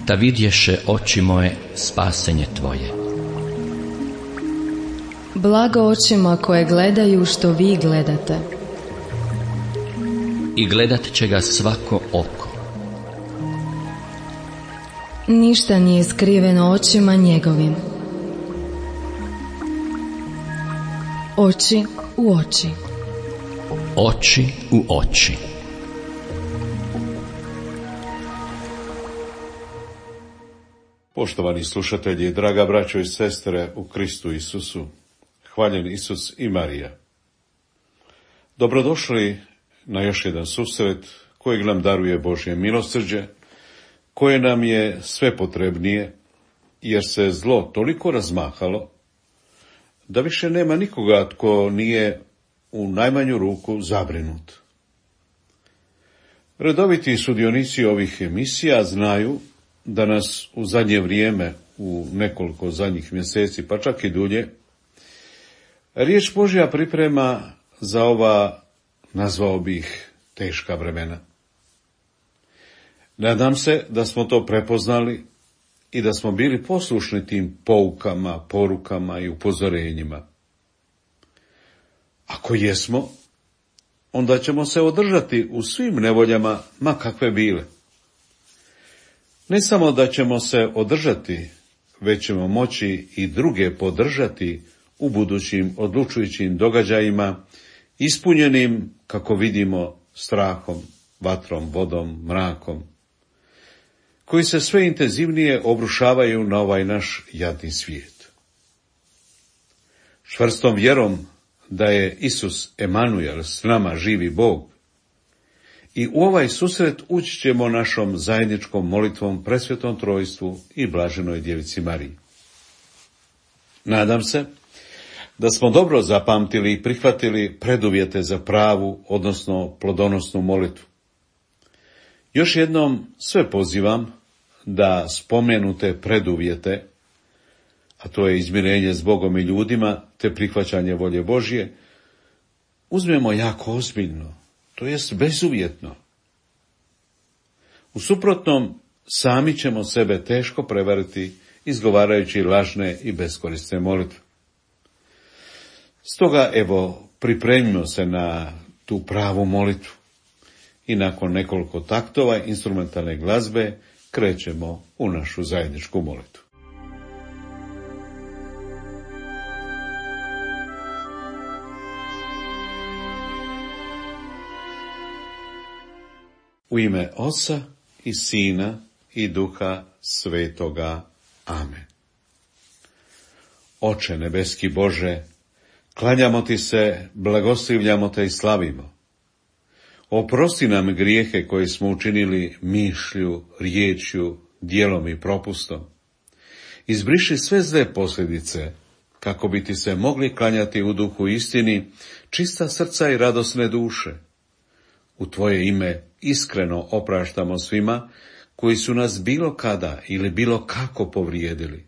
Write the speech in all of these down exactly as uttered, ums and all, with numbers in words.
da vidješe oči moje spasenje tvoje. Blago očima koje gledaju što vi gledate. I gledat će ga svako oko. Ništa nije skriveno očima njegovim. Oči u oči. Oči u oči. Poštovani slušatelji, draga braćo i sestre u Kristu Isusu, hvaljen Isus i Marija. Dobrodošli na još jedan susret kojeg nam daruje Božje milosrđe, koje nam je sve potrebnije, jer se zlo toliko razmahalo, da više nema nikoga tko nije u najmanju ruku zabrinut. Redoviti sudionici ovih emisija znaju da nas u zadnje vrijeme, u nekoliko zadnjih mjeseci, pa čak i dulje, riječ Božja priprema za ova, nazvao bih, teška vremena. Nadam se da smo to prepoznali i da smo bili poslušni tim poukama, porukama i upozorenjima. Ako jesmo, onda ćemo se održati u svim nevoljama, ma kakve bile. Ne samo da ćemo se održati, već ćemo moći i druge podržati u budućim odlučujućim događajima, ispunjenim, kako vidimo, strahom, vatrom, vodom, mrakom, koji se sve intenzivnije obrušavaju na ovaj naš jadni svijet. Čvrstom vjerom da je Isus Emanuel, s nama živi Bog, i u ovaj susret ući ćemo našom zajedničkom molitvom Presvetom Trojstvu i Blaženoj Djevici Mariji. Nadam se da smo dobro zapamtili i prihvatili preduvjete za pravu, odnosno plodonosnu molitvu. Još jednom sve pozivam da spomenute preduvjete, a to je izmirenje s Bogom i ljudima, te prihvaćanje volje Božje, uzmemo jako ozbiljno, to jest bezuvjetno. U suprotnom, sami ćemo sebe teško prevariti, izgovarajući lažne i beskorisne molitve. Stoga, evo, pripremimo se na tu pravu molitvu i nakon nekoliko taktova instrumentalne glazbe krećemo u našu zajedničku molitvu. U ime Oca i Sina i Duha Svetoga. Amen. Oče nebeski Bože, klanjamo ti se, blagoslivljamo te i slavimo. Oprosti nam grijehe koje smo učinili mišlju, riječju, djelom i propustom. Izbriši sve zle posljedice, kako bi ti se mogli klanjati u duhu istini, čista srca i radosne duše. U tvoje ime iskreno opraštamo svima koji su nas bilo kada ili bilo kako povrijedili.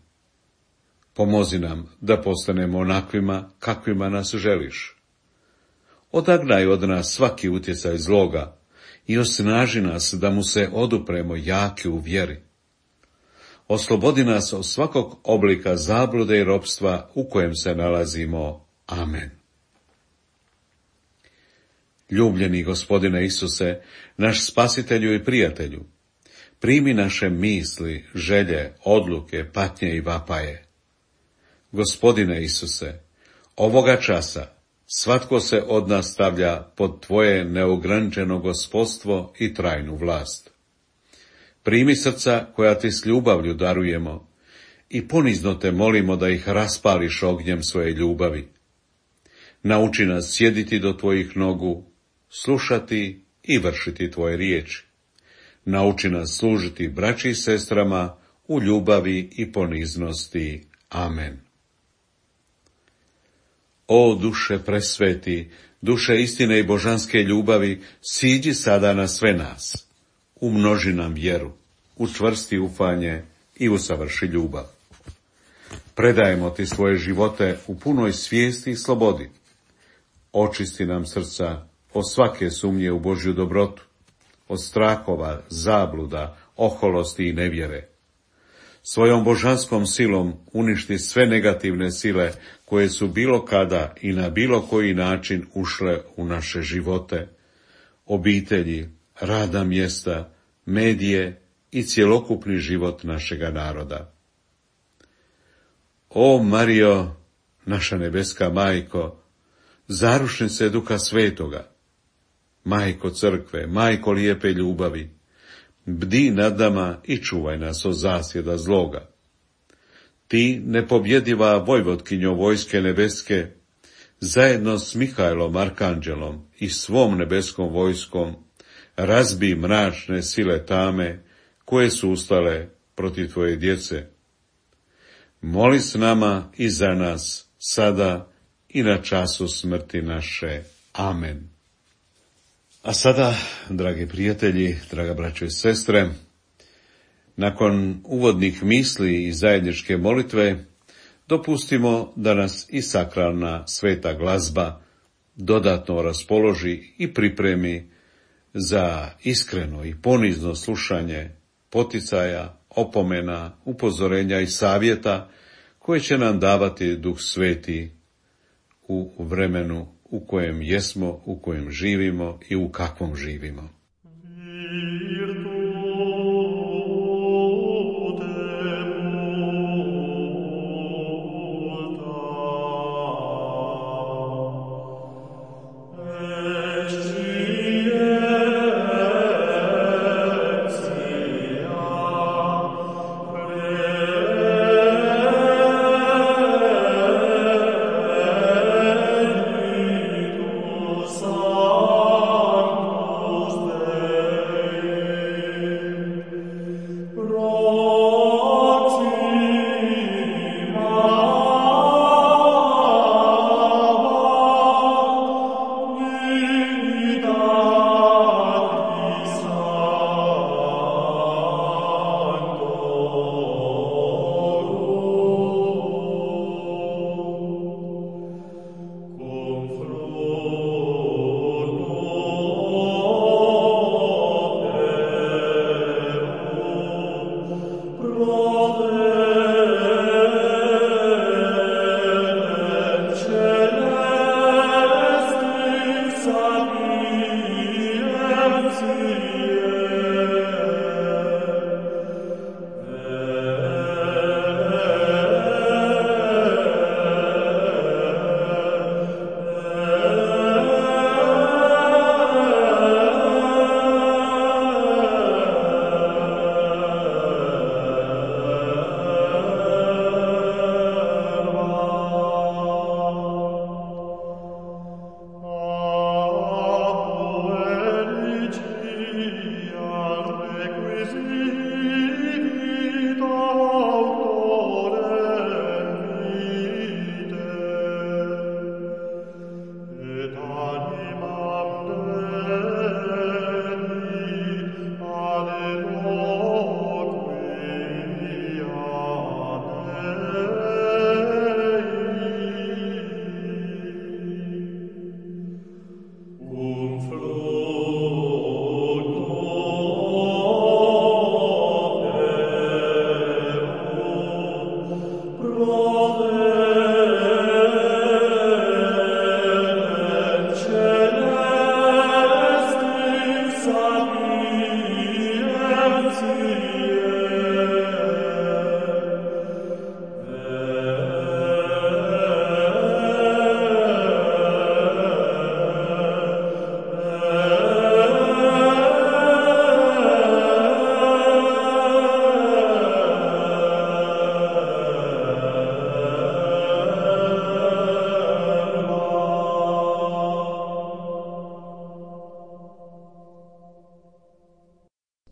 Pomozi nam da postanemo onakvima kakvima nas želiš. Odagnaj od nas svaki utjecaj zloga i osnaži nas da mu se odupremo jaki u vjeri. Oslobodi nas od svakog oblika zablude i ropstva u kojem se nalazimo. Amen. Ljubljeni Gospodine Isuse, naš spasitelju i prijatelju, primi naše misli, želje, odluke, patnje i vapaje. Gospodine Isuse, ovoga časa svatko se od nas stavlja pod tvoje neograničeno gospodstvo i trajnu vlast. Primi srca koja ti s ljubavlju darujemo i ponizno te molimo da ih raspališ ognjem svoje ljubavi. Nauči nas sjediti do tvojih nogu, slušati i vršiti tvoje riječi. Nauči nas služiti braći i sestrama u ljubavi i poniznosti. Amen. O duše presveti, duše istine i božanske ljubavi, siđi sada na sve nas. Umnoži nam vjeru, učvrsti ufanje i usavrši ljubav. Predajemo ti svoje živote u punoj svijesti i slobodi. Očisti nam srca od svake sumnje u Božju dobrotu, od strahova, zabluda, oholosti i nevjere. svojom božanskom silom uništi sve negativne sile koje su bilo kada i na bilo koji način ušle u naše živote, obitelji, radna mjesta, medije i cjelokupni život našega naroda. O Marijo, naša nebeska majko, zarušnice Duha Svetoga, majko crkve, majko lijepe ljubavi, bdi nad nama i čuvaj nas od zasjeda zloga. Ti, nepobjediva vojvotkinjo vojske nebeske, zajedno s Mihajlom Arkanđelom i svom nebeskom vojskom, razbi mračne sile tame koje su ustale protiv tvoje djece. Moli s nama i za nas, sada i na času smrti naše. Amen. A sada, dragi prijatelji, draga braćo i sestre, nakon uvodnih misli i zajedničke molitve, dopustimo da nas i sakralna sveta glazba dodatno raspoloži i pripremi za iskreno i ponizno slušanje poticaja, opomena, upozorenja i savjeta koje će nam davati Duh Sveti u vremenu u kojem jesmo, u kojem živimo i u kakvom živimo.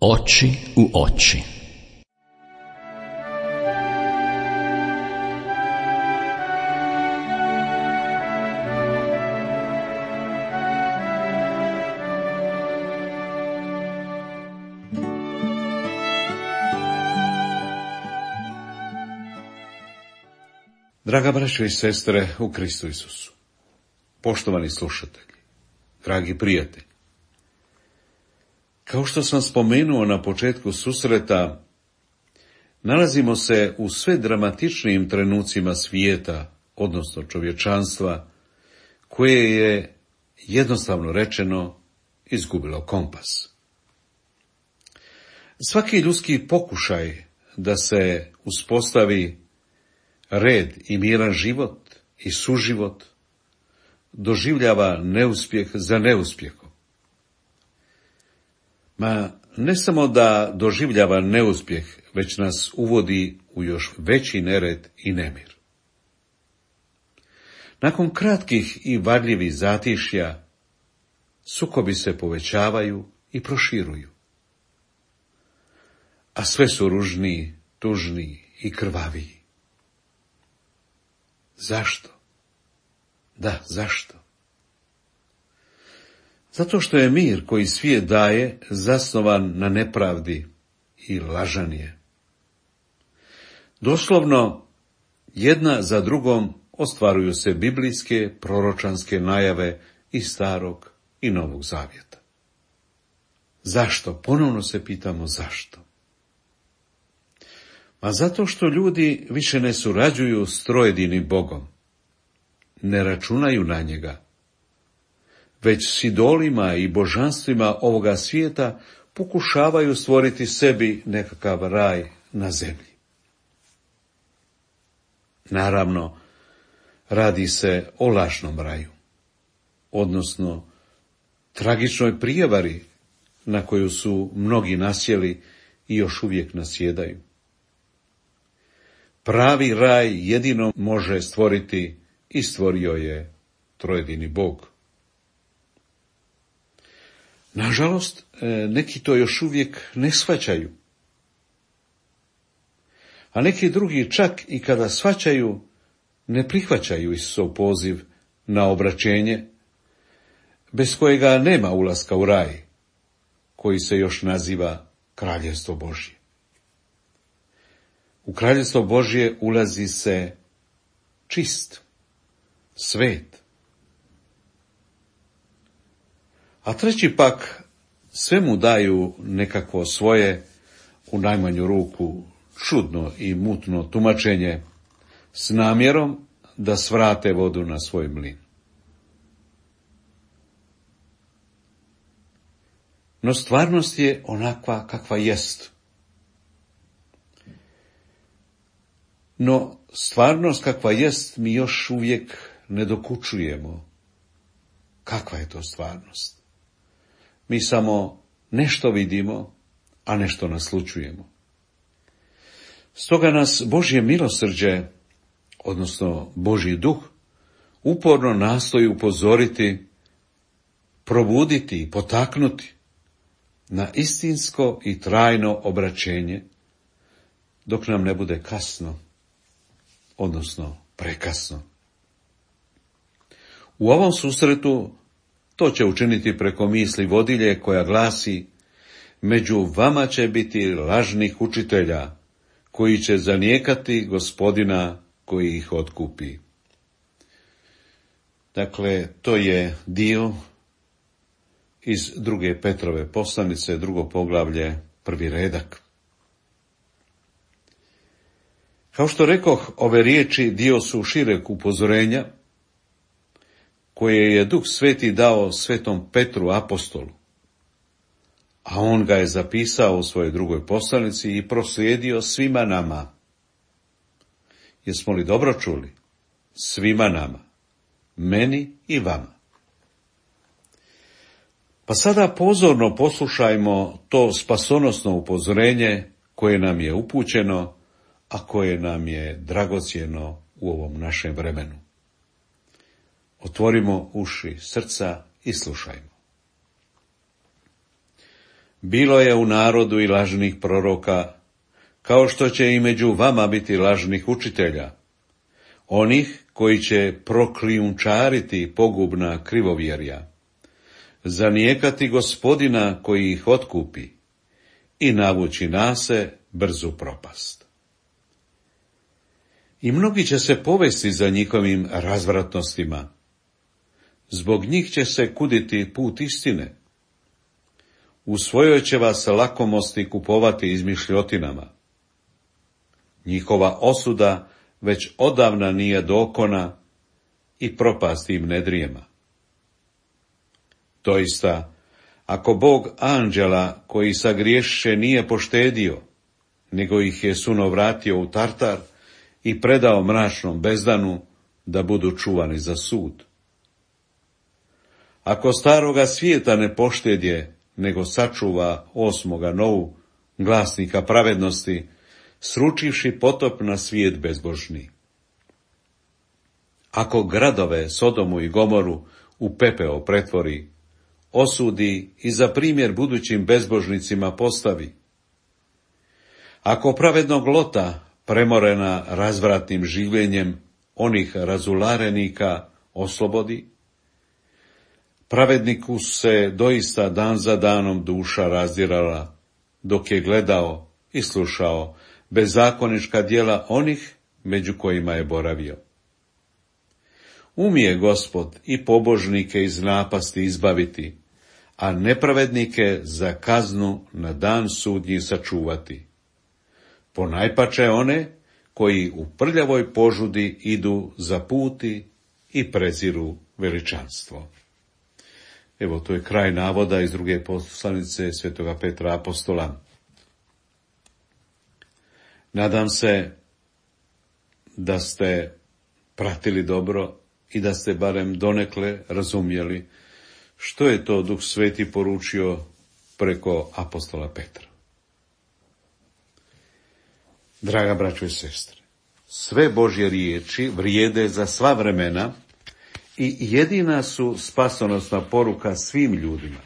Oči u oči. Draga braćo i sestre u Kristu Isusu, poštovani slušatelji, dragi prijatelji, kao što sam spomenuo na početku susreta, nalazimo se u sve dramatičnijim trenucima svijeta, odnosno čovječanstva, koje je, jednostavno rečeno, izgubilo kompas. Svaki ljudski pokušaj da se uspostavi red i miran život i suživot doživljava neuspjeh za neuspjehom. Ma ne samo da doživljava neuspjeh, već nas uvodi u još veći nered i nemir. Nakon kratkih i varljivih zatišja, sukobi se povećavaju i proširuju. A sve su ružniji, tužniji i krvaviji. Zašto? Da, zašto? Zato što je mir koji svijet daje zasnovan na nepravdi i lažan je. Doslovno, jedna za drugom ostvaruju se biblijske proročanske najave iz Starog i Novog Zavjeta. Zašto? Ponovno se pitamo zašto. A zato što ljudi više ne surađuju s trojedinim Bogom, ne računaju na njega, već s idolima i božanstvima ovoga svijeta pokušavaju stvoriti sebi nekakav raj na zemlji. Naravno, radi se o lažnom raju, odnosno tragičnoj prijevari na koju su mnogi nasjeli i još uvijek nasjedaju. Pravi raj jedino može stvoriti i stvorio je trojedini Bog. Nažalost, neki to još uvijek ne shvaćaju. A neki drugi čak i kada shvaćaju, ne prihvaćaju Isusov poziv na obraćenje, bez kojega nema ulaska u raj, koji se još naziva Kraljevstvo Božje. U Kraljevstvo Božje ulazi se čist, svet. A treći pak sve mu daju nekakvo svoje, u najmanju ruku, čudno i mutno tumačenje s namjerom da svrate vodu na svoj mlin. No stvarnost je onakva kakva jest. No stvarnost kakva jest mi još uvijek ne dokučujemo. Kakva je to stvarnost? Mi samo nešto vidimo, a nešto naslućujemo. Stoga nas Božje milosrđe, odnosno Božji duh, uporno nastoji upozoriti, probuditi i potaknuti na istinsko i trajno obraćenje, dok nam ne bude kasno, odnosno prekasno. U ovom susretu to će učiniti preko misli vodilje koja glasi: među vama će biti lažnih učitelja, koji će zanijekati Gospodina koji ih otkupi. Dakle, to je dio iz druge Petrove poslanice, drugo poglavlje, prvi redak. Kao što rekoh, ove riječi dio su šireg upozorenja, koje je Duh Sveti dao svetom Petru apostolu, a on ga je zapisao u svojoj drugoj poslanici i proslijedio svima nama. Jesmo li dobro čuli? Svima nama, meni i vama. Pa sada pozorno poslušajmo to spasonosno upozorenje koje nam je upućeno, a koje nam je dragocjeno u ovom našem vremenu. Otvorimo uši srca i slušajmo. Bilo je u narodu i lažnih proroka, kao što će i među vama biti lažnih učitelja, onih koji će prokrijumčariti pogubna krivovjerja, zanijekati Gospodina koji ih otkupi i navući nase brzu propast. I mnogi će se povesti za njihovim razvratnostima. Zbog njih će se kuditi put istine. U svojoj će vas lakomosti kupovati izmišljotinama. njihova osuda već odavna nije dokona i propast im ne drijema. Doista, ako Bog anđela koji sagriješiše nije poštedio, nego ih je suno vratio u Tartar i predao mračnom bezdanu da budu čuvani za sud. Ako staroga svijeta ne poštedje, nego sačuva osmoga novu, glasnika pravednosti, sručivši potop na svijet bezbožni. Ako gradove Sodomu i Gomoru u pepeo pretvori, osudi i za primjer budućim bezbožnicima postavi. Ako pravednog Lota, premorena razvratnim življenjem onih razularenika, oslobodi, pravedniku se doista dan za danom duša razdirala, dok je gledao i slušao bezakonička djela onih među kojima je boravio. Umije Gospod i pobožnike iz napasti izbaviti, a nepravednike za kaznu na dan sudnji sačuvati. Ponajpače one koji u prljavoj požudi idu za puti i preziru veličanstvo. Evo, to je kraj navoda iz druge poslanice svetoga Petra apostola. Nadam se da ste pratili dobro i da ste barem donekle razumjeli što je to Duh Sveti poručio preko apostola Petra. Draga braćo i sestre, sve Božje riječi vrijede za sva vremena i jedina su spasonosna poruka svim ljudima.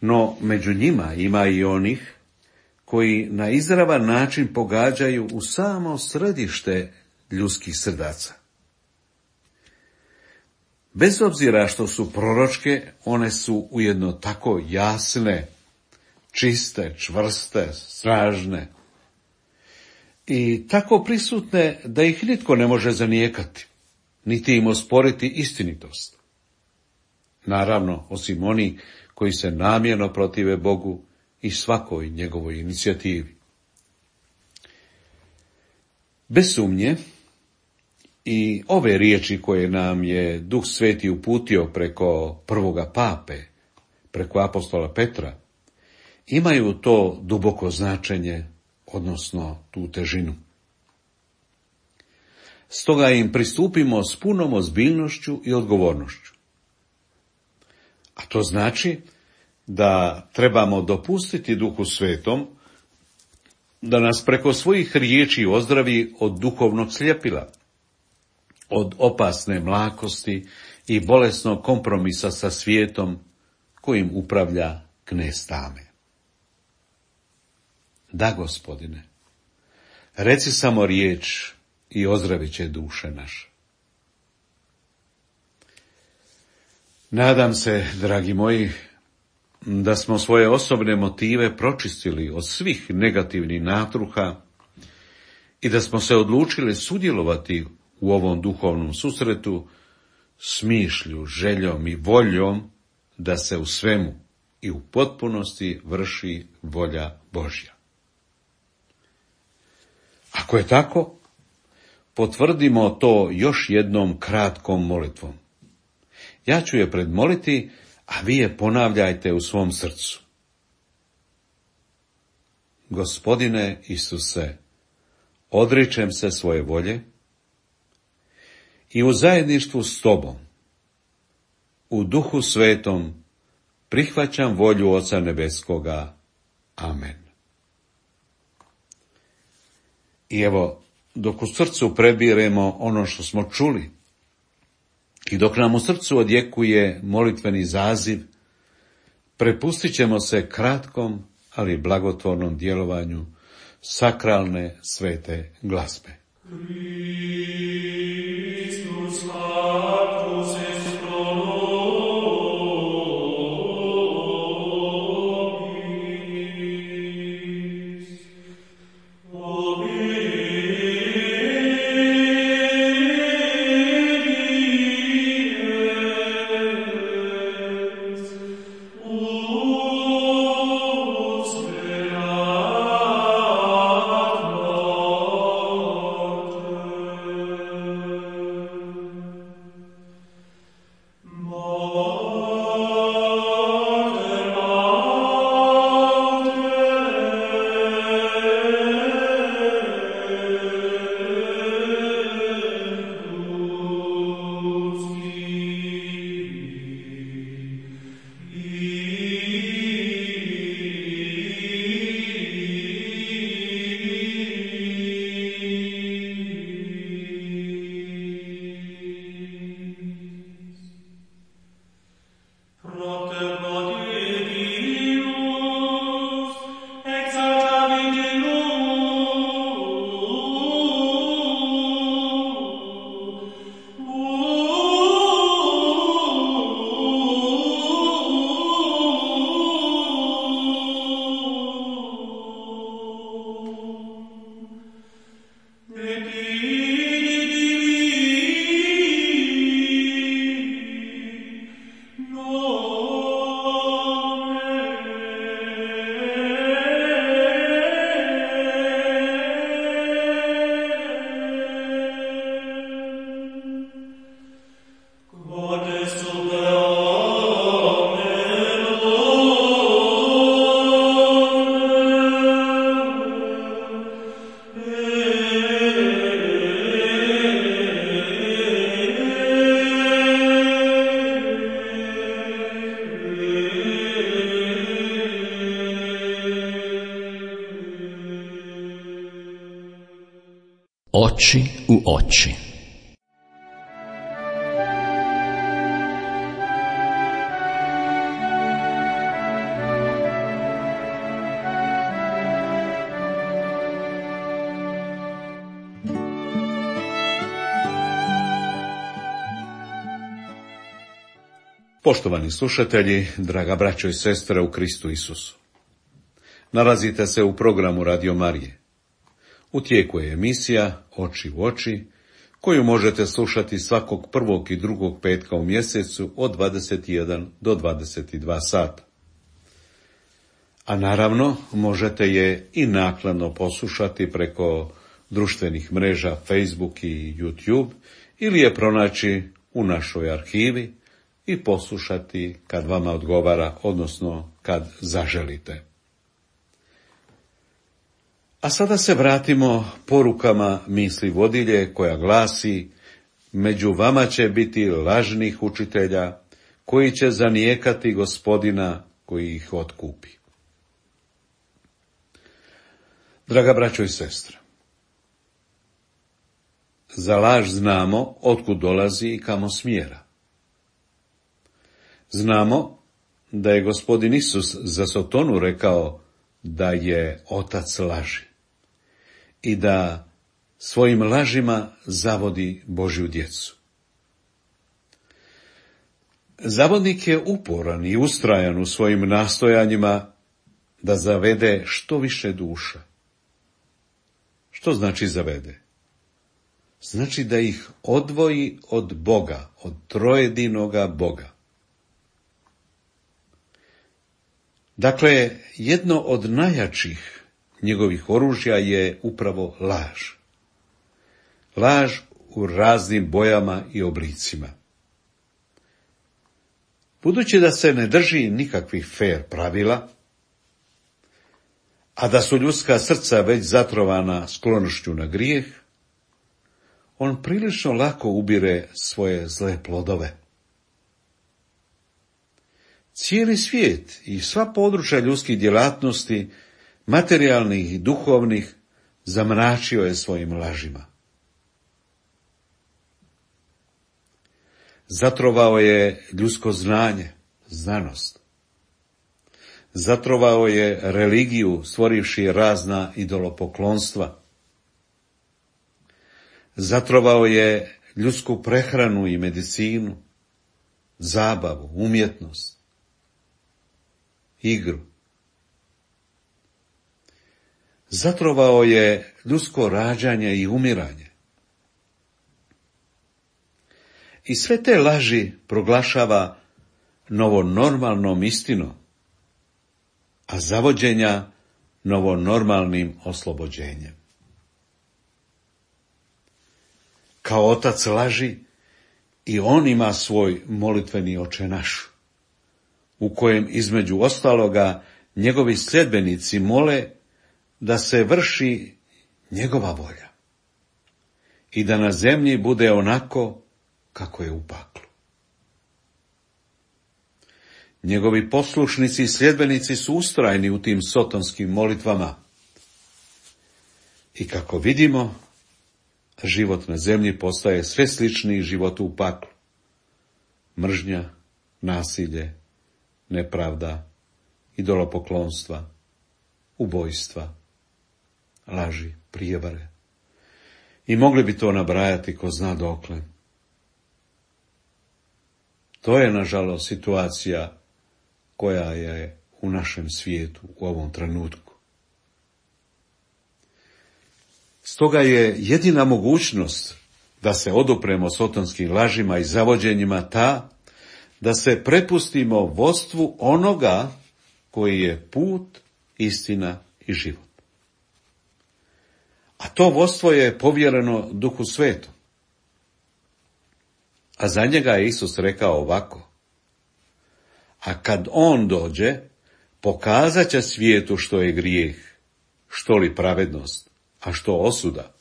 No, među njima ima i onih koji na izravan način pogađaju u samo središte ljudskih srdaca. Bez obzira što su proročke, one su ujedno tako jasne, čiste, čvrste, snažne i tako prisutne da ih nitko ne može zanijekati, niti im osporiti istinitost. Naravno, osim oni koji se namjerno protive Bogu i svakoj njegovoj inicijativi. Bez sumnje, i ove riječi koje nam je Duh Sveti uputio preko prvoga pape, preko apostola Petra, imaju to duboko značenje, odnosno tu težinu. Stoga im pristupimo s punom ozbiljnošću i odgovornošću. A to znači da trebamo dopustiti Duhu Svetom da nas preko svojih riječi ozdravi od duhovnog sljepila, od opasne mlakosti i bolesnog kompromisa sa svijetom kojim upravlja knez tame. Da, Gospodine, reci samo riječ i ozdravit će duše naše. Nadam se, dragi moji, da smo svoje osobne motive pročistili od svih negativnih natruha i da smo se odlučili sudjelovati u ovom duhovnom susretu s mišlju, željom i voljom da se u svemu i u potpunosti vrši volja Božja. Ako je tako, potvrdimo to još jednom kratkom molitvom. Ja ću je predmoliti, a vi je ponavljajte u svom srcu. Gospodine Isuse, odričem se svoje volje i u zajedništvu s Tobom, u Duhu Svetom, prihvaćam volju Oca Nebeskoga. Amen. I evo, dok u srcu prebiremo ono što smo čuli i dok nam u srcu odjekuje molitveni zaziv, prepustit ćemo se kratkom, ali blagotvornom djelovanju sakralne svete glazbe. Oh Oči u oči. Poštovani slušatelji, draga braćo i sestre u Kristu Isusu. Nalazite se u programu Radio Marije. U tijeku je emisija Oči u oči, koju možete slušati svakog prvog i drugog petka u mjesecu od dvadeset jedan do dvadeset dva sata. A naravno, možete je i naknadno poslušati preko društvenih mreža Facebook i YouTube ili je pronaći u našoj arhivi i poslušati kad vama odgovara, odnosno kad zaželite. A sada se vratimo porukama misli vodilje koja glasi: među vama će biti lažnih učitelja koji će zanijekati Gospodina koji ih otkupi. Draga braćo i sestre, za laž znamo otkud dolazi i kamo smjera. Znamo da je Gospodin Isus za Sotonu rekao da je otac laži i da svojim lažima zavodi Božju djecu. Zavodnik je uporan i ustrajan u svojim nastojanjima da zavede što više duša. Što znači zavede? Znači da ih odvoji od Boga, od trojedinoga Boga. Dakle, jedno od najjačih njegovih oružja je upravo laž. Laž u raznim bojama i oblicima. Budući da se ne drži nikakvih fer pravila, a da su ljudska srca već zatrovana sklonošću na grijeh, on prilično lako ubire svoje zle plodove. Cijeli svijet i sva područja ljudskih djelatnosti, materijalnih i duhovnih, zamračio je svojim lažima. Zatrovao je ljudsko znanje, znanost. Zatrovao je religiju, stvorivši razna idolopoklonstva. Zatrovao je ljudsku prehranu i medicinu, zabavu, umjetnost, igru. Zatrovao je ljudsko rađanje i umiranje. I sve te laži proglašava novonormalnom istinom, a zavođenja novonormalnim oslobođenjem. Kao otac laži, i on ima svoj molitveni Oče naš, u kojem između ostaloga njegovi sljedbenici mole da se vrši njegova volja i da na zemlji bude onako kako je u paklu. Njegovi poslušnici i sljedbenici su ustrajni u tim sotonskim molitvama i kako vidimo, život na zemlji postaje sve sličniji životu u paklu. Mržnja, nasilje, nepravda, idolopoklonstva, ubojstva, laži, prijevare. I mogli bi to nabrajati ko zna dokle. To je, nažalost, situacija koja je u našem svijetu u ovom trenutku. Stoga je jedina mogućnost da se odupremo sotonskim lažima i zavođenjima ta da se prepustimo vodstvu onoga koji je put, istina i život. A to vodstvo je povjereno Duhu Svetom. A za njega je Isus rekao ovako: a kad on dođe, pokazat će svijetu što je grijeh, što li pravednost, a što osuda.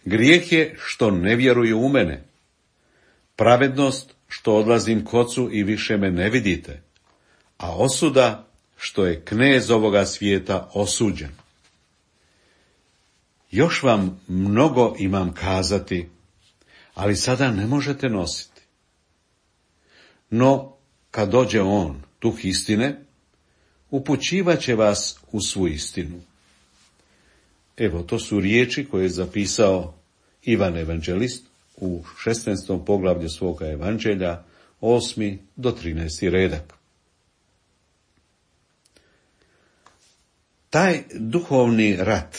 Grijeh je što ne vjeruju u mene, pravednost što odlazim k Ocu i više me ne vidite, a osuda što je knez ovoga svijeta osuđen. još vam mnogo imam kazati, ali sada ne možete nositi. No, kad dođe on, duh istine, upućivat će vas u svu istinu. Evo, to su riječi koje je zapisao Ivan Evanđelist u šesnaestom poglavlju svoga evanđelja, osmi do trinaesti redak. Taj duhovni rat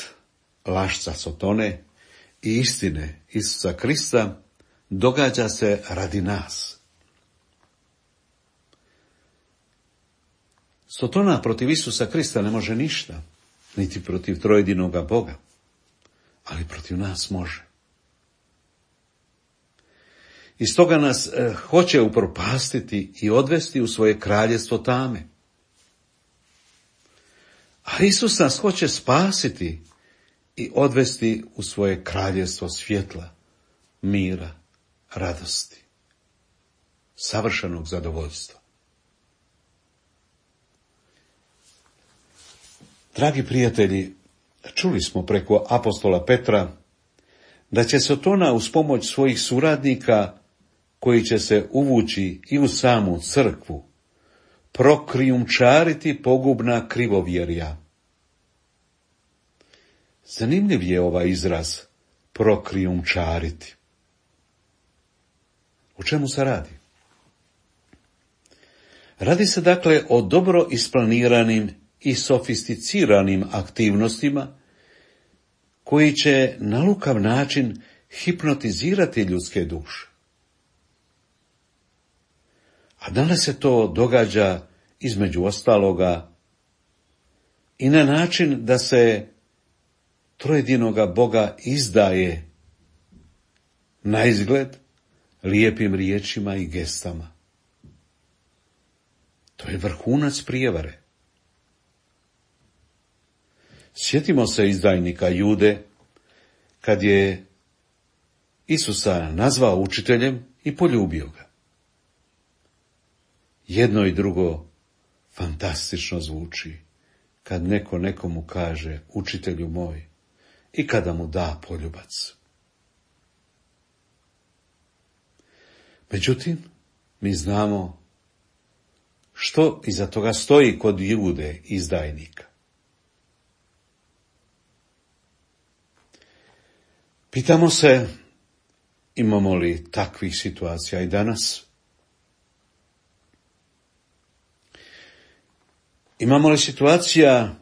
lašca Sotone i istine Isusa Krista događa se radi nas. Sotona protiv Isusa Krista ne može ništa, niti protiv trojedinoga Boga, ali protiv nas može. I stoga nas eh, hoće upropastiti i odvesti u svoje kraljestvo tame. A Isus nas hoće spasiti i odvesti u svoje kraljestvo svjetla, mira, radosti, savršenog zadovoljstva. Dragi prijatelji, čuli smo preko apostola Petra da će Sotona uz pomoć svojih suradnika, koji će se uvući i u samu crkvu, prokrijumčariti pogubna krivovjerja. Zanimljiv je ovaj izraz prokrijumčariti. O čemu se radi? Radi se dakle o dobro isplaniranim i sofisticiranim aktivnostima koji će na lukav način hipnotizirati ljudske duše. A danas se to događa između ostaloga i na način da se trojedinoga Boga izdaje na izgled lijepim riječima i gestama. To je vrhunac prijevare. Sjetimo se izdajnika Jude, kad je Isusa nazvao učiteljem i poljubio ga. Jedno i drugo fantastično zvuči, kad neko nekomu kaže učitelju moj i kada mu da poljubac. Međutim, mi znamo što iza toga stoji kod Jude izdajnika. Pitamo se, imamo li takvih situacija i danas? Imamo li situacija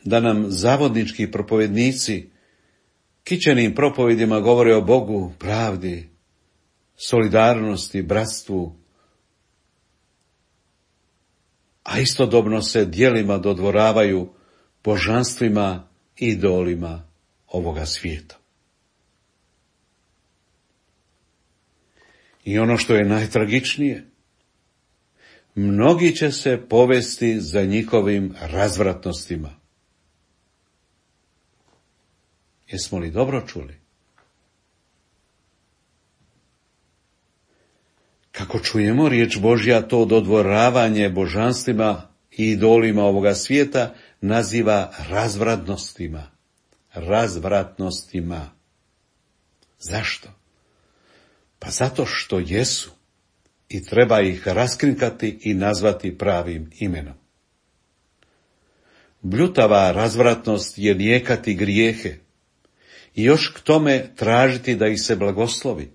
da nam zavodnički propovjednici kićenim propovedima govore o Bogu, pravdi, solidarnosti, bratstvu, a istodobno se djelima dodvoravaju božanstvima i idolima ovoga svijeta? I ono što je najtragičnije, mnogi će se povesti za njihovim razvratnostima. Jesmo li dobro čuli? Kako čujemo, riječ Božja to dodvoravanje božanstvima i idolima ovoga svijeta naziva razvratnostima. Razvratnostima. Zašto? Pa zato što jesu i treba ih raskrinkati i nazvati pravim imenom. Bljutava razvratnost je nijekati grijehe i još k tome tražiti da ih se blagoslovi.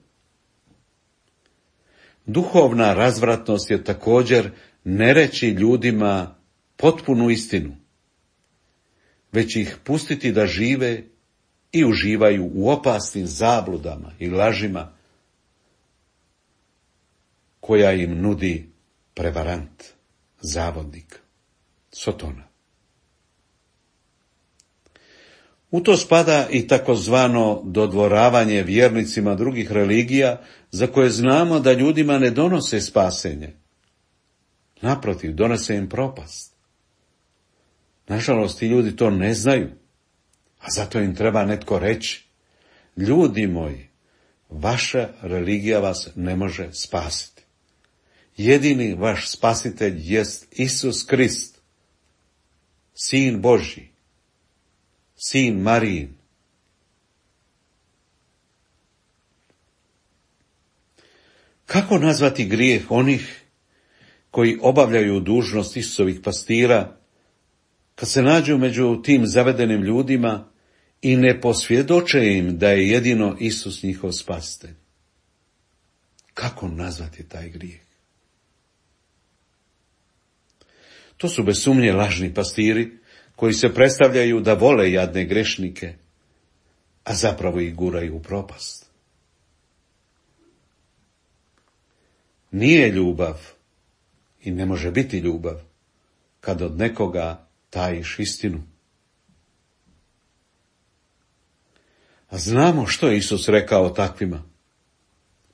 Duhovna razvratnost je također ne reći ljudima potpunu istinu, već ih pustiti da žive i uživaju u opasnim zabludama i lažima koja im nudi prevarant, zavodnik, Sotona. U to spada i takozvano dodvoravanje vjernicima drugih religija, za koje znamo da ljudima ne donose spasenje. Naprotiv, donose im propast. Nažalost, ti ljudi to ne znaju, a zato im treba netko reći: ljudi moji, vaša religija vas ne može spasiti. Jedini vaš spasitelj jest Isus Krist, Sin Božji, Sin Marijin, Kako nazvati grijeh onih koji obavljaju dužnost Isusovih pastira, kad se nađu među tim zavedenim ljudima i ne posvjedoče im da je jedino Isus njihov spasitelj? Kako nazvati taj grijeh? To su bez sumnje lažni pastiri koji se predstavljaju da vole jadne grešnike, a zapravo ih guraju u propast. Nije ljubav i ne može biti ljubav kad od nekoga tajiš istinu. A znamo što je Isus rekao takvima.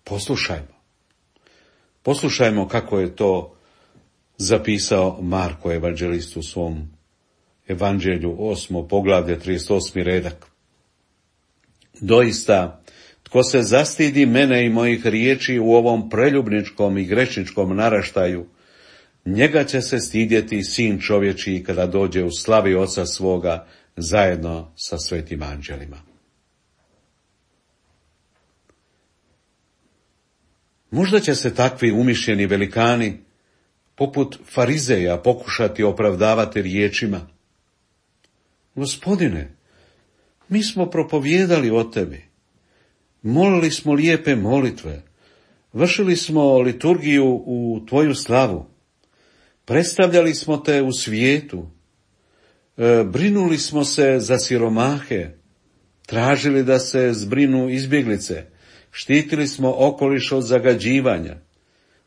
Poslušajmo. Poslušajmo kako je to zapisao Marko evanđelist u svom evanđelju osmo poglavlje trideset osmi redak. Doista, tko se zastidi mene i mojih riječi u ovom preljubničkom i grešničkom naraštaju, njega će se stidjeti sin čovječiji kada dođe u slavi oca svoga zajedno sa svetim anđelima. Možda će se takvi umišljeni velikani, poput farizeja, pokušati opravdavati riječima: Gospodine, mi smo propovijedali o tebi, molili smo lijepe molitve, vršili smo liturgiju u tvoju slavu, predstavljali smo te u svijetu, e, brinuli smo se za siromahe, tražili da se zbrinu izbjeglice, štitili smo okoliš od zagađivanja,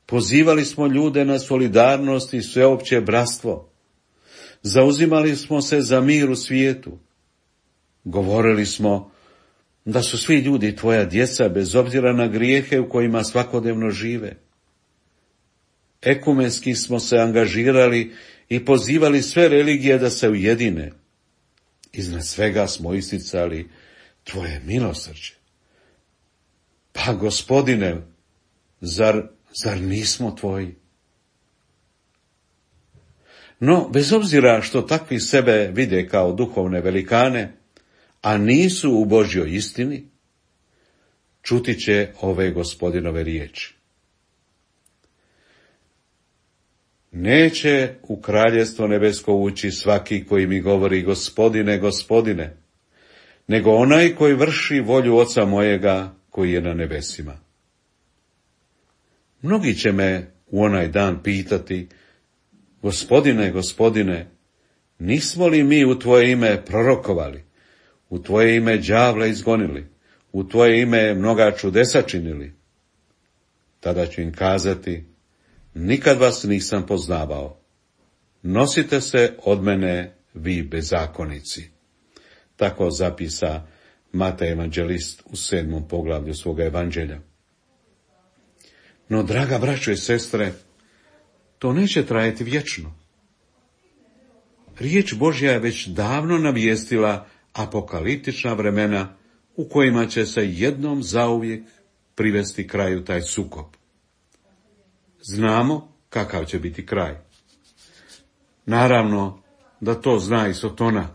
pozivali smo ljude na solidarnost i sveopće bratstvo, zauzimali smo se za mir u svijetu, govorili smo da su svi ljudi tvoja djeca bez obzira na grijehe u kojima svakodnevno žive. Ekumenski smo se angažirali i pozivali sve religije da se ujedine. Iznad svega smo isticali tvoje milosrđe. Pa, Gospodine, zar, zar nismo tvoji? No, bez obzira što takvi sebe vide kao duhovne velikane, a nisu u Božjoj istini, čuti će ove Gospodinove riječi. Neće u kraljevstvo nebesko ući svaki koji mi govori Gospodine, Gospodine, nego onaj koji vrši volju Oca mojega koji je na nebesima. Mnogi će me u onaj dan pitati: Gospodine, Gospodine, nismo li mi u tvoje ime prorokovali, u tvoje ime đavla izgonili, u tvoje ime mnoga čudesa činili? Tada ću im kazati: nikad vas nisam poznavao. Nosite se od mene, vi bezakonici. Tako zapisa Matej evanđelist u sedmom poglavlju svoga evanđelja. No, draga braćo i sestre, to neće trajati vječno. Riječ Božja je već davno navijestila apokaliptična vremena u kojima će se jednom zauvijek privesti kraju taj sukob. Znamo kakav će biti kraj. Naravno da to zna i Sotona,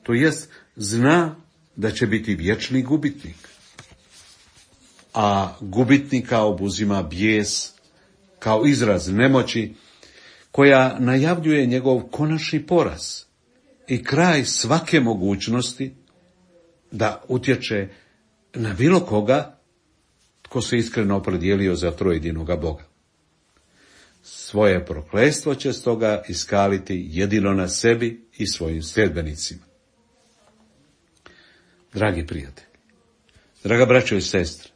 to jest zna da će biti vječni gubitnik. A gubitnika obuzima bijes kao izraz nemoći koja najavljuje njegov konačni poraz i kraj svake mogućnosti da utječe na bilo koga tko se iskreno opredijelio za trojedinoga Boga. Svoje prokletstvo će stoga iskaliti jedino na sebi i svojim sljedbenicima. Dragi prijatelji, draga braćo i sestre,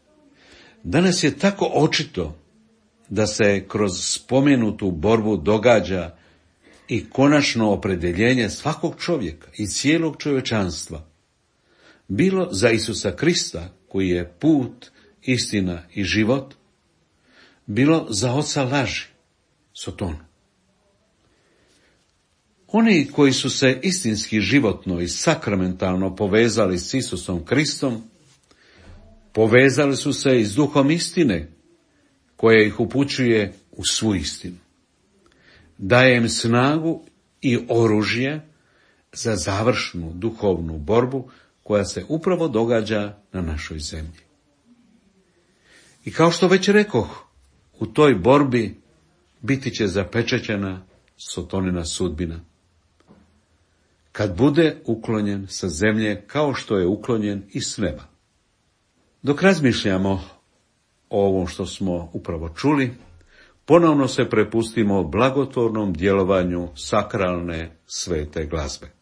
danas je tako očito da se kroz spomenutu borbu događa i konačno opredjeljenje svakog čovjeka i cijelog čovječanstva, bilo za Isusa Krista, koji je put, istina i život, bilo za oca laži, Sotonu. Oni koji su se istinski životno i sakramentalno povezali s Isusom Kristom, povezali su se i s duhom istine, koja ih upućuje u svu istinu. Daje im snagu i oružje za završnu duhovnu borbu koja se upravo događa na našoj zemlji. I kao što već rekoh, u toj borbi biti će zapečećena Sotonina sudbina. Kad bude uklonjen sa zemlje kao što je uklonjen i s neba. Dok razmišljamo o ovom što smo upravo čuli, ponovno se prepustimo blagotvornom djelovanju sakralne svete glazbe.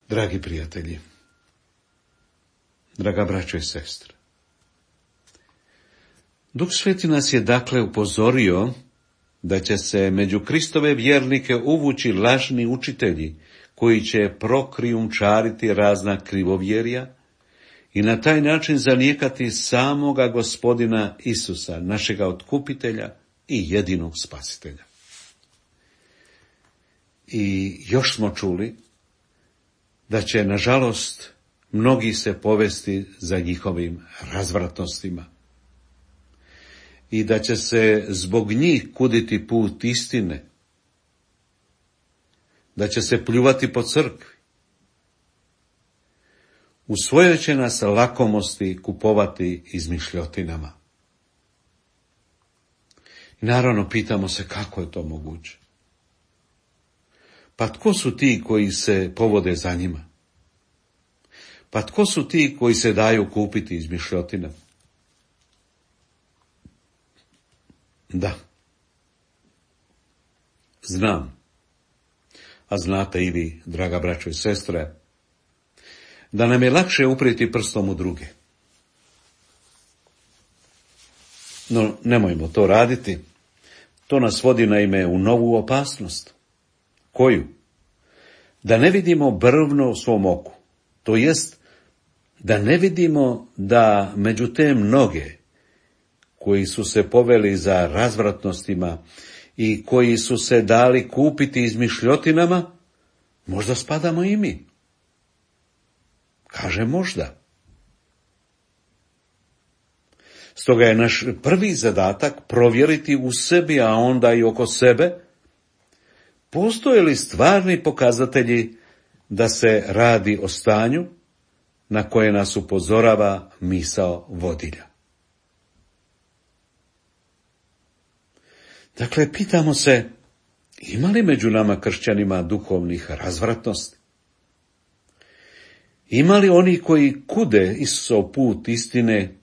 Dragi prijatelji, draga braćo i sestre, Duh Sveti nas je dakle upozorio da će se među Kristove vjernike uvući lažni učitelji koji će prokrijumčariti razna krivovjerja i na taj način zanijekati samoga Gospodina Isusa, našega otkupitelja i jedinog spasitelja. I još smo čuli da će, nažalost, mnogi se povesti za njihovim razvratnostima i da će se zbog njih kuditi put istine, da će se pljuvati po crkvi, u svojoj će nas lakomosti kupovati izmišljotinama. I naravno pitamo se kako je to moguće. Pa tko su ti koji se povode za njima? Pa tko su ti koji se daju kupiti izmišljotinama? Da. Znam. A znate i vi, draga braćo i sestre, da nam je lakše uprijeti prstom u druge. No, nemojmo to raditi. To nas vodi naime u novu opasnost. Koju? Da ne vidimo brvno u svom oku. To jest, da ne vidimo da među te mnoge koji su se poveli za razvratnostima i koji su se dali kupiti izmišljotinama, možda spadamo i mi. Kaže možda. Stoga je naš prvi zadatak provjeriti u sebi, a onda i oko sebe, postoje li stvarni pokazatelji da se radi o stanju na koje nas upozorava misao vodilja. Dakle, pitamo se, ima li među nama kršćanima duhovnih razvratnosti? Ima li oni koji kude Isusov put istine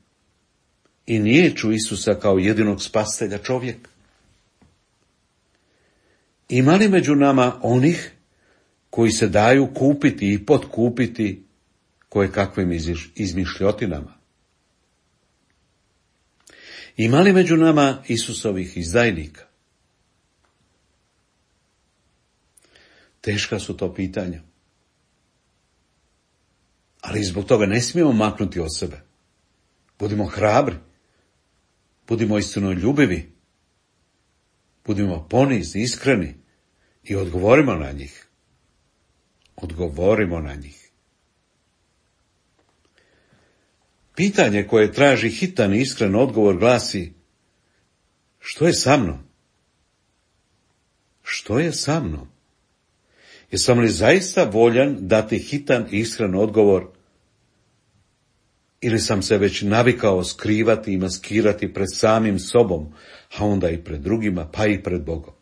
i niječu Isusa kao jedinog spasitelja čovjeka? Ima li među nama onih koji se daju kupiti i potkupiti koje kakvim izmišljotinama? Ima li među nama Isusovih izdajnika? Teška su to pitanja. Ali zbog toga ne smijemo maknuti od sebe. Budimo hrabri. Budimo istinoljubivi. Budimo ponizni, iskreni i odgovorimo na njih. Odgovorimo na njih. Pitanje koje traži hitan i iskren odgovor glasi: što je sa mnom? Što je sa mnom? Jesam li zaista voljan dati hitan i iskren odgovor, ili sam se već navikao skrivati i maskirati pred samim sobom, a onda i pred drugima, pa i pred Bogom?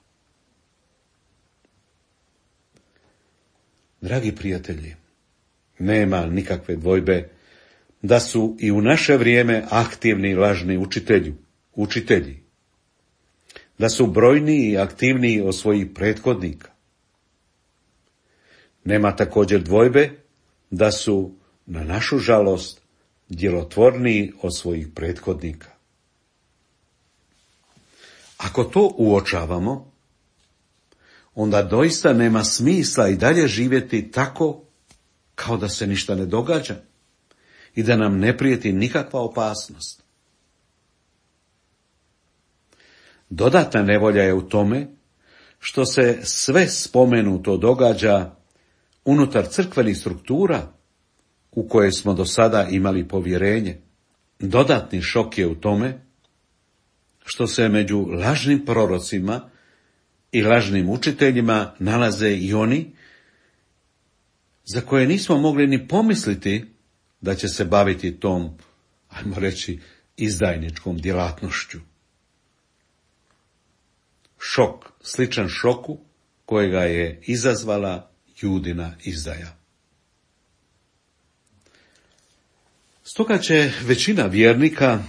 Dragi prijatelji, nema nikakve dvojbe da su i u naše vrijeme aktivni lažni učitelji, učitelji, da su brojniji i aktivniji od svojih prethodnika. Nema također dvojbe da su, na našu žalost, djelotvorniji od svojih prethodnika. Ako to uočavamo, onda doista nema smisla i dalje živjeti tako kao da se ništa ne događa i da nam ne prijeti nikakva opasnost. Dodatna nevolja je u tome što se sve spomenuto događa unutar crkvenih struktura u koje smo do sada imali povjerenje. Dodatni šok je u tome što se među lažnim prorocima i lažnim učiteljima nalaze i oni za koje nismo mogli ni pomisliti da će se baviti tom, ajmo reći, izdajničkom djelatnošću. Šok, sličan šoku kojega je izazvala Judina izdaja. Stoga će većina vjernika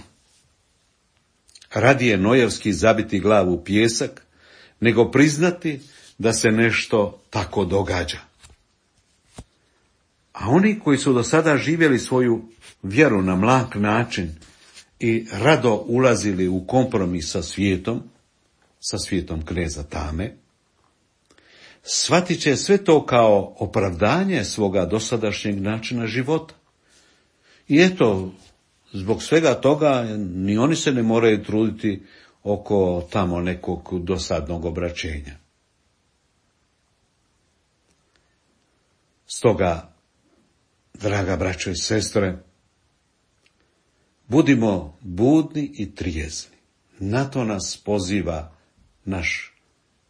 radije nojevski zabiti glavu u pijesak, nego priznati da se nešto tako događa. A oni koji su do sada živjeli svoju vjeru na mlak način i rado ulazili u kompromis sa svijetom, sa svijetom kneza tame, shvatit će sve to kao opravdanje svoga dosadašnjeg načina života. I eto, zbog svega toga ni oni se ne moraju truditi oko tamo nekog dosadnog obraćenja. Stoga, draga braćo i sestre, budimo budni i trijezni. Na to nas poziva naš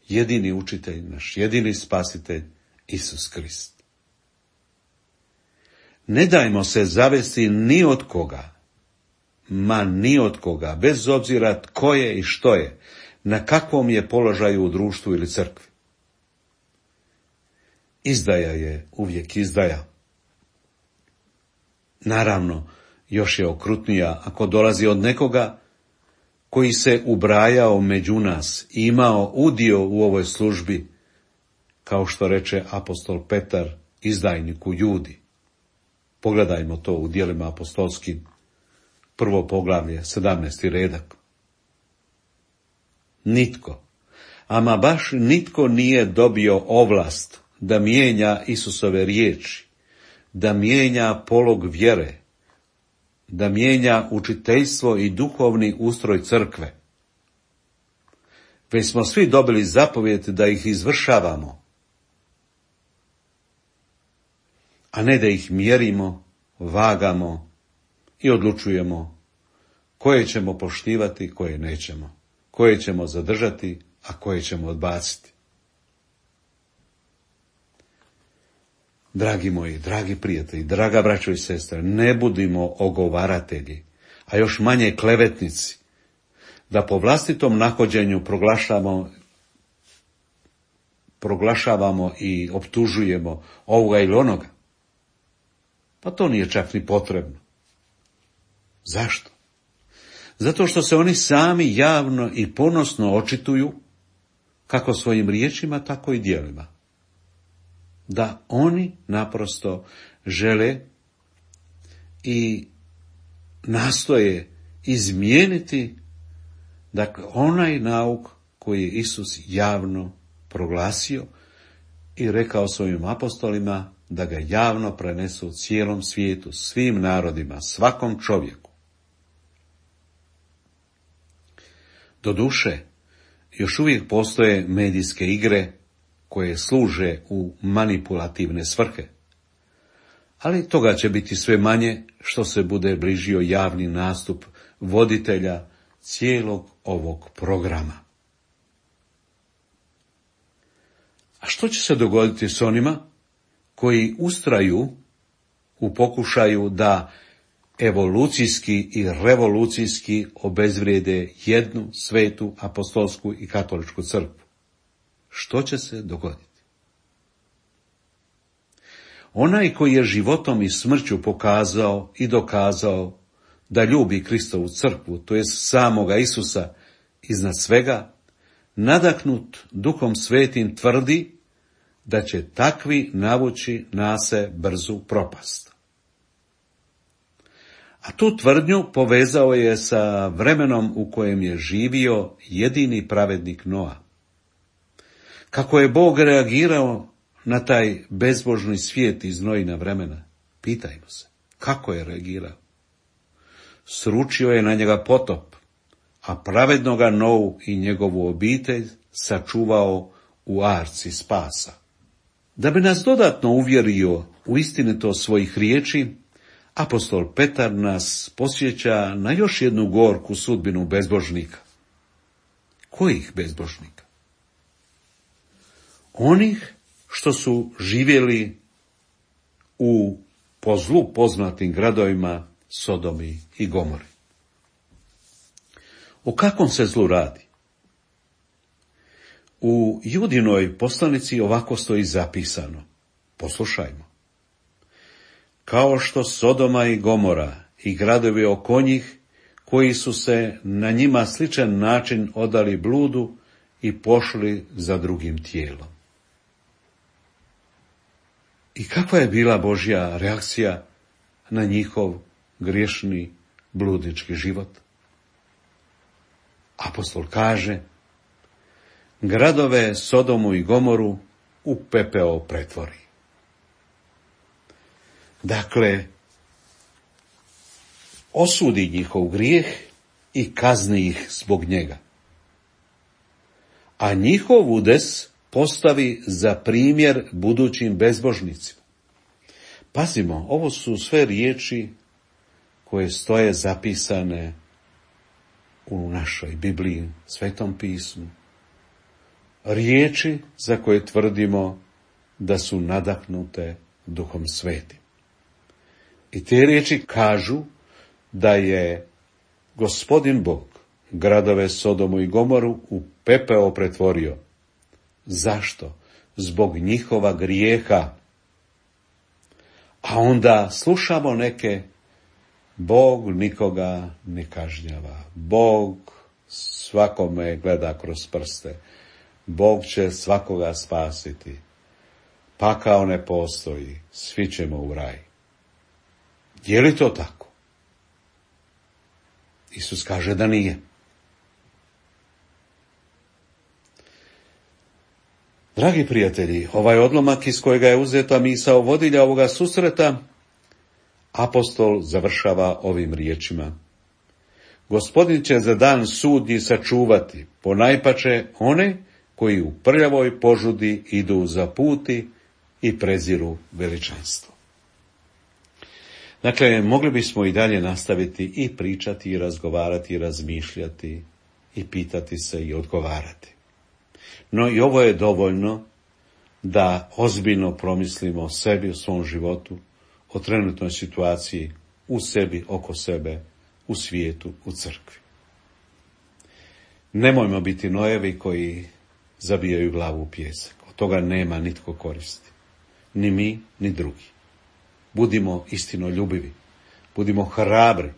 jedini učitelj, naš jedini spasitelj, Isus Krist. Ne dajmo se zavesti ni od koga, ma ni od koga, bez obzira tko je i što je, na kakvom je položaju u društvu ili crkvi. Izdaja je uvijek izdaja. Naravno, još je okrutnija ako dolazi od nekoga koji se ubrajao među nas i imao udio u ovoj službi, kao što reče apostol Petar izdajniku Judi. Pogledajmo to u djelima apostolskim, prvo poglavlje, sedamnaesti redak. Nitko, ama baš nitko nije dobio ovlast da mijenja Isusove riječi, da mijenja polog vjere, da mijenja učiteljstvo i duhovni ustroj crkve. Već smo svi dobili zapovjed da ih izvršavamo, a ne da ih mjerimo, vagamo i odlučujemo koje ćemo poštivati, koje nećemo, koje ćemo zadržati, a koje ćemo odbaciti. Dragi moji, dragi prijatelji, draga braćo i sestre, ne budimo ogovaratelji, a još manje klevetnici, da po vlastitom nahođenju proglašavamo, proglašavamo i optužujemo ovoga ili onoga. Pa to nije čak ni potrebno. Zašto? Zato što se oni sami javno i ponosno očituju, kako svojim riječima, tako i djelima, da oni naprosto žele i nastoje izmijeniti, dakle, onaj nauk koji je Isus javno proglasio i rekao svojim apostolima da ga javno prenesu cijelom svijetu, svim narodima, svakom čovjeku. Doduše, još uvijek postoje medijske igre koje služe u manipulativne svrhe, ali toga će biti sve manje što se bude bližio javni nastup voditelja cijelog ovog programa. A što će se dogoditi s onima koji ustraju u pokušaju da evolucijski i revolucijski obezvrijede jednu svetu apostolsku i katoličku crkvu? Što će se dogoditi? Onaj koji je životom i smrću pokazao i dokazao da ljubi Kristovu crkvu, to jest samoga Isusa iznad svega, nadahnut Duhom Svetim tvrdi da će takvi navući na se brzu propast. A tu tvrdnju povezao je sa vremenom u kojem je živio jedini pravednik Noa. Kako je Bog reagirao na taj bezbožni svijet iz Noina vremena? Pitajmo se, kako je reagirao? Sručio je na njega potop, a pravednoga Novu i njegovu obitelj sačuvao u arci spasa. Da bi nas dodatno uvjerio u istinitost svojih riječi, apostol Petar nas podsjeća na još jednu gorku sudbinu bezbožnika. Kojih bezbožnika? Onih što su živjeli u po zlu poznatim gradovima Sodomi i Gomori. O kakvom se zlu radi? U Judinoj poslanici ovako stoji zapisano. Poslušajmo. Kao što Sodoma i Gomora i gradovi oko njih, koji su se na njima sličan način odali bludu i pošli za drugim tijelom. I kakva je bila Božja reakcija na njihov griješni bludnički život? Apostol kaže, gradove Sodomu i Gomoru u pepeo pretvori. Dakle, osudi njihov grijeh i kazni ih zbog njega. A njihov udes postavi za primjer budućim bezbožnicima. Pazimo, ovo su sve riječi koje stoje zapisane u našoj Bibliji, Svetom pismu. Riječi za koje tvrdimo da su nadahnute Duhom Svetim. I te riječi kažu da je Gospodin Bog gradove Sodomu i Gomoru u pepeo pretvorio. Zašto? Zbog njihova grijeha. A onda slušamo neke, Bog nikoga ne kažnjava. Bog svakome gleda kroz prste. Bog će svakoga spasiti. Pakao ne postoji, svi ćemo u raj. Je li to tako? Isus kaže da nije. Dragi prijatelji, ovaj odlomak iz kojega je uzeta misao vodilja ovoga susreta, apostol završava ovim riječima: Gospodin će za dan sudnji sačuvati, ponajpače one koji u prljavoj požudi idu za puti i preziru veličanstvo. Dakle, mogli bismo i dalje nastaviti i pričati, i razgovarati, i razmišljati, i pitati se, i odgovarati. No i ovo je dovoljno da ozbiljno promislimo o sebi, o svom životu, o trenutnoj situaciji, u sebi, oko sebe, u svijetu, u crkvi. Nemojmo biti nojevi koji zabijaju glavu u pijesak. Od toga nema nitko koristi. Ni mi, ni drugi. Budimo istinoljubivi. Budimo hrabri.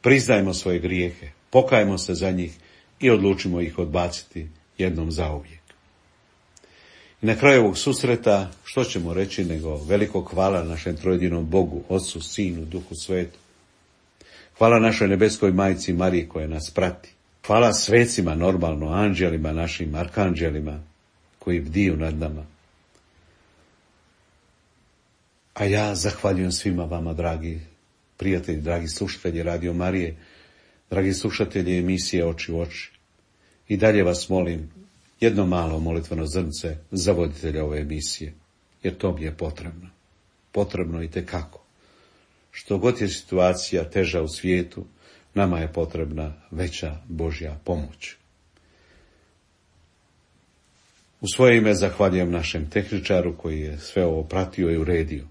Priznajmo svoje grijehe. Pokajmo se za njih i odlučimo ih odbaciti jednom zauvijek. I na kraju ovog susreta, što ćemo reći nego veliko hvala našem trojedinom Bogu, Otcu, Sinu, Duhu Svetu. Hvala našoj nebeskoj majci Mariji koja nas prati. Hvala svecima, normalno, anđelima našim, arkanđelima koji bdiju nad nama. A ja zahvaljujem svima vama, dragi prijatelji, dragi slušatelji Radio Marije, dragi slušatelji emisije Oči u oči. I dalje vas molim jedno malo molitveno zrnce za voditelja ove emisije, jer to mi je potrebno. Potrebno i tekako. Što god je situacija teža u svijetu, nama je potrebna veća Božja pomoć. U svoje ime zahvaljujem našem tehničaru koji je sve ovo pratio i uredio.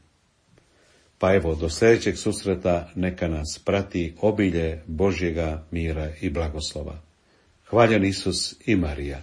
Pa evo, do sljedećeg susreta neka nas prati obilje Božjega mira i blagoslova. Hvaljen Isus i Marija.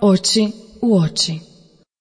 Oči u oči.